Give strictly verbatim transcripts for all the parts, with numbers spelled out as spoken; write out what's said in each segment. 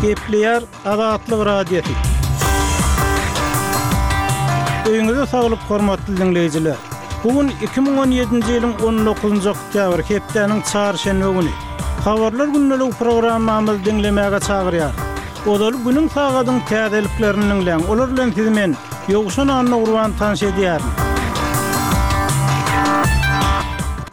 Gepleýär Azatlyk Radiosy. Öýüňize saglyk hormatly dinleýjiler. Bu gün iki müň on ýedinji ýylyň on dokuzynjy oktýabr, hepdäniň çarşenbe güni. Habarlar gündeligi programmamyzy diňlemäge çagyrýar. Ozaly günüň sagadyň täzeliklerini diňläň. Olar bilen sizi men Ýowşan Annagurban tanyş edýärin.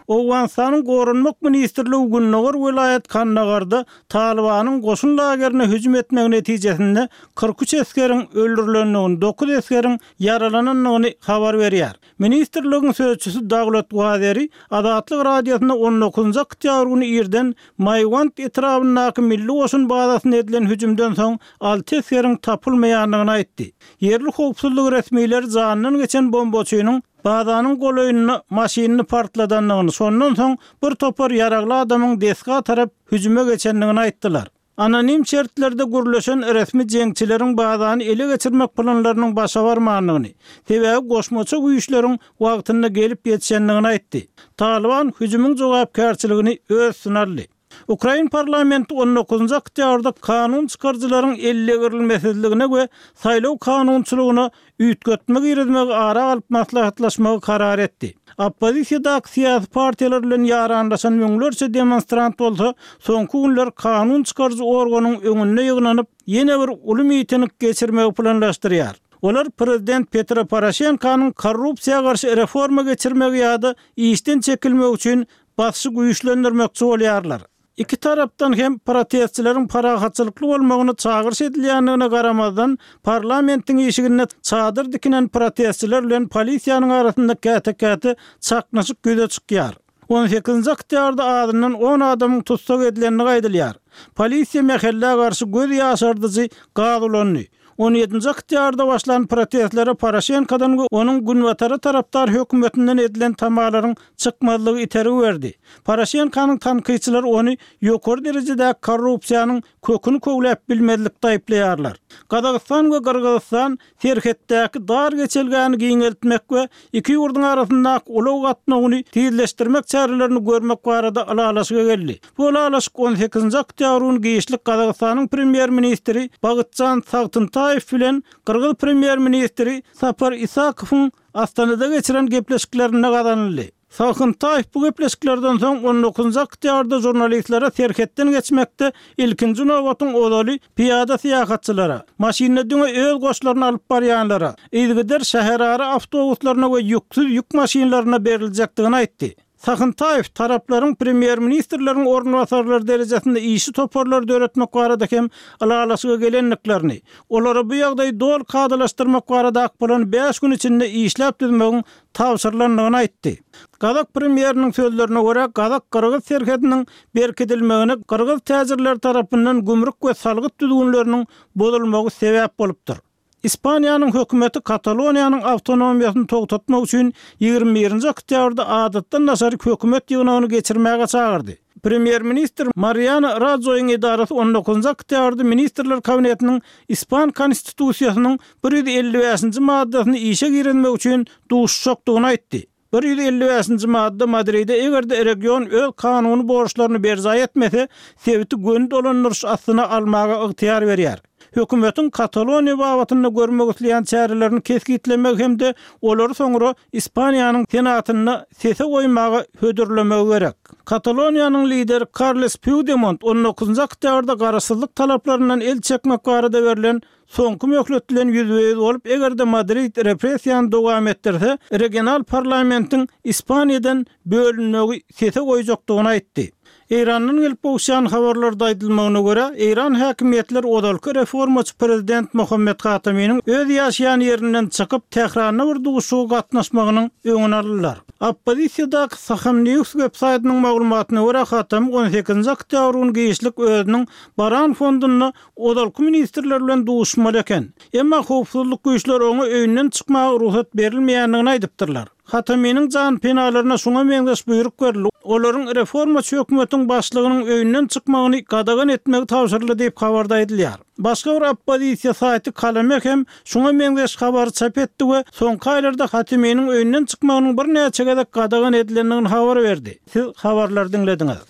Owganystanyň Goranmak ministrligi Gündogar welaýat Kandagarda Talybanyň goşun lagerine hüjüm etmegi netijesinde kyrk üç esgeriň öldürilendigini, dokuz esgeriň ýaralanandygyny habar berýär. Ministrligiň sözçüsi Dawlat Wazeri Azatlyk Radiosyna on dokuzynjy oktýabr güni irden Maýwant etrabyndaky milli goşun bazasyna edilen hüjümden soň alty esgeriň tapylmaýandygyny aýtdy. Ýerli howpsuzlyk resmileri janyndan geçen bombaçynyň bazanyň golaýynda maşynyny partladandygyny, şondan soň bir topar ýaragly adamyň desga tarap hüjüme geçendigini aýtdylar. Anonim şertlerde gürleşen resmi jeňçileriň bazany ele geçirmek planlarynyň başa barmandygyny, sebäbi goşmaça güýçleriň wagtynda gelip ýetişendigini aýtdy. Talyban hüjümiň jogapkärçiligini öz üstüne aldy. Ukrain parlamenti on dokuzynjy oktýabrda kanun çykaryjylaryň ellegirilmesizligine we saýlaw kanunçylygyna üýtgetme girizmegi ara alyp maslahatlaşmagy karar etdi. Oppozisiýadaky syýasy partiýalar bilen ýaranlaşan müňlerçe demonstrant bolsa, soňky günler kanun çykaryjy organyň öňünde ýygnanyp, ýene bir uly miting geçirmegi planlaşdyrýar. Olar prezident Petro Poroşenkonyň korrupsiýa garşy reforma geçirmegi ýa-da işden çekilmegi üçin basyşy güýçlendirmekçi bolýarlar. Iki tarapdan hem protestçileriň parahatçylykly bolmagyny çagyryş edilýändigine garamazdan, parlamentiň işiginde çadyr dikinen protestçiler bilen polisiýanyň arasynda käte-käte çaknyşyk ýüze çykýar. On sekizinji oktýabrda azyndan on adamyň tussag edilendigi aýdylýar. Polisiýa mähellä garşy göz ýaşardyjy gaz ulandy. On ýedinji oktýabrda başlan protestlere Poroşenkodan we onuň günbatara tarapdar hökümetinden edilen tamalaryň çykmazlygy itergi berdi. Poroşenkonyň tankytçylary ony ýokary derejedäki korrupsiýanyň köküni köwläp bilmezlikde aýyplaýarlar. Gazagystan we Gyrgyzystan serhetdäki dar geçelgäni giňeltmek we iki ýurduň arasyndaky ulag gatnawyny tizleşdirmek çärelerini görmek barada ylalaşyga geldi. Bu ylalaşyk on sekizinji oktýabr güni giçlik Gazagystanyň premýer-ministri Bagytjan Sagtyntaýew bilen Gyrgyz premýer-ministri Sapar Isakowyň Astanada geçiren gepleşiklerinde gazanyldy. Sagtyntaýew bu gepleşiklerden soň on dokuzynjy oktýabrda žurnalistlere serhetden geçmekde ilkinji nobatyň ozaly piyada syýahatçylara, maşynda diňe öz goşlaryny alyp barýanlara, yzygider şäherara awtobuslaryna we ýüksüz ýük maşynlaryna beriljekdigini aýtdy. Sagtyntaýew taraplaryň premýer-ministrleriň orunbasarlary derejesinde işi toparlary döretmek barada hem ylalaşyga gelendiklerini, olara bu ýagdaýy doly kadalaşdyrmak barada bolan bäş gün içinde işläp düzmegiň tabşyrylandygyny aýtdy. Gazak premýeriniň sözlerine görä, Gazak-Gyrgyz serhediniň berkidilmegine Gyrgyz täjirleri tarapyndan gümrük we salgyt düzgünleriniň bozulmagy sebäp bolupdyr. Ispaniýanyň hökümeti Kataloniýanyň awtonomiýasyny togtatmak üçin ýigrimi birinji oktýabrda adatdan daşary hökümet ýygnagyny geçirmäge çagyrdy. Premýer-ministr Mariano Rajoýyň edarasy on dokuzynjy oktýabrda Ministrler Kabinetiniň Ispan konstitusiýasynyň bir ýüz elli bäşinji maddasyny işe girizmek üçin duşuşjakdygyny aýtdy. Bir ýüz elli bäşinji madda Madride eger-de region öz kanuny borçlaryny berjaý etmese, sebiti göni dolandyryş astyna almaga ygtyýar berýär. Hökümetiň Kataloniýa babatynda görmek isleýän çärelerini kesgitlemegi hem-de olary soňra Ispaniýanyň Senatynda sese goýmaga hödürlemegi gerek. Kataloniýanyň lideri Karles Puigdemont on dokuzynjy oktýabrda garaşsyzlyk talaplaryndan el çekmek barada berlen soňky möhlet bilen ýüzbe-ýüz bolup, eger-de Madrid repressiýany dowam etdirse, regional parlamentiň Ispaniýadan bölünmegi sese goýjakdygyny aýtdy. Eýrandan gelip gowuşýan habarlarda aýdylmagyna görä, Eýran häkimiýetleri ozalky reformaçy prezident Muhammed Hataminiň öz ýaşaýan ýerinden çykyp, Tähranda bir duşuşyga gatnaşmagynyň öňüni aldylar. Oppozisiýadaky Saham News web saýtynyň maglumatyna görä, Hatami on sekizinji oktýabr güni giçlik özüniň Baran fondunda ozalky ministrler bilen duşuşmaly eken. Emma howpsuzlyk güýçleri oňa öýünden çykmaga rugsat berilmeýändigini aýdypdyrlar. Hataminiň jan penalaryna şoňa meňzeş buýruk berildi. Olaryň reformaçy hökümetiň başlygynyň öýünden çykmagyny gadagan etmegi tabşyryldy diýip habarda aýdylýar. Başga bir oppozisiýa saýty Kalame hem şoňa meňzeş habary çap etdi we soňky aýlarda Hataminiň öýünden çykmagynyň birnäçe gezek gadagan edilendigini habar berdi. Siz habarlary diňlediňiz.